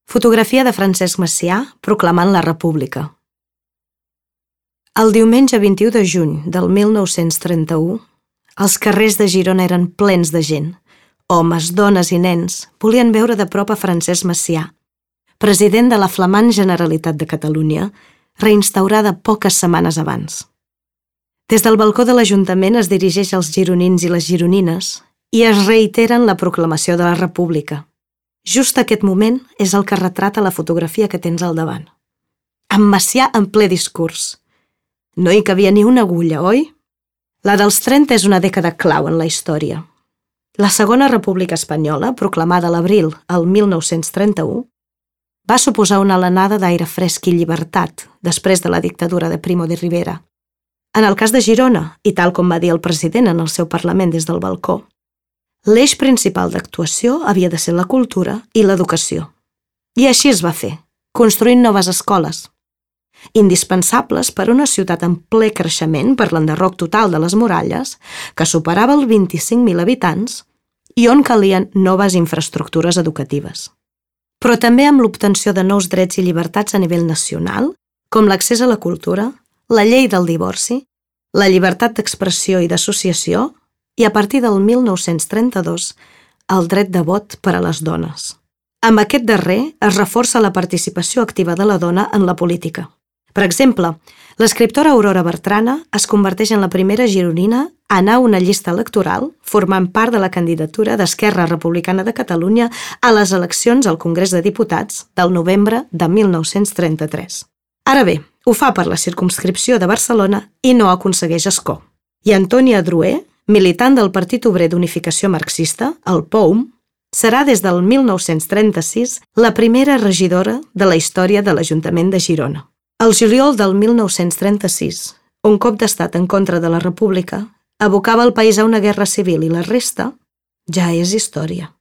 Fotografia de Francesc Macià proclamant la República. El diumenge 21 de juny del 1931, els carrers de Girona eren plens de gent. Homes, dones i nens volien veure de prop a Francesc Macià, president de la flamant Generalitat de Catalunya, reinstaurada poques setmanes abans. Des del balcó de l'Ajuntament es dirigeix als gironins i les gironines i es reiteren la proclamació de la República. Just aquest moment és el que retrata la fotografia que tens al davant. Amb Macià en ple discurs. No hi cabia ni una agulla, oi? La dels 30 és una dècada clau en la història. La Segona República Espanyola, proclamada a l'abril del 1931, va suposar una alenada d'aire fresc i llibertat després de la dictadura de Primo de Rivera. En el cas de Girona, i tal com va dir el president en el seu Parlament des del balcó, l'eix principal d'actuació havia de ser la cultura i l'educació. I així es va fer, construint noves escoles, indispensables per a una ciutat en ple creixement per l'enderroc total de les muralles, que superava els 25.000 habitants i on calien noves infraestructures educatives. Però també amb l'obtenció de nous drets i llibertats a nivell nacional, com l'accés a la cultura, la llei del divorci, la llibertat d'expressió i d'associació, i a partir del 1932, el dret de vot per a les dones. Amb aquest darrer es reforça la participació activa de la dona en la política. Per exemple, l'escriptora Aurora Bertrana es converteix en la primera gironina a anar a una llista electoral formant part de la candidatura d'Esquerra Republicana de Catalunya a les eleccions al Congrés de Diputats del novembre de 1933. Ara bé, ho fa per la circumscripció de Barcelona i no aconsegueix escó. I Antònia Adroer, militant del Partit Obrer d'Unificació Marxista, el POUM, serà des del 1936 la primera regidora de la història de l'Ajuntament de Girona. El juliol del 1936, un cop d'estat en contra de la República abocava el país a una guerra civil i la resta ja és història.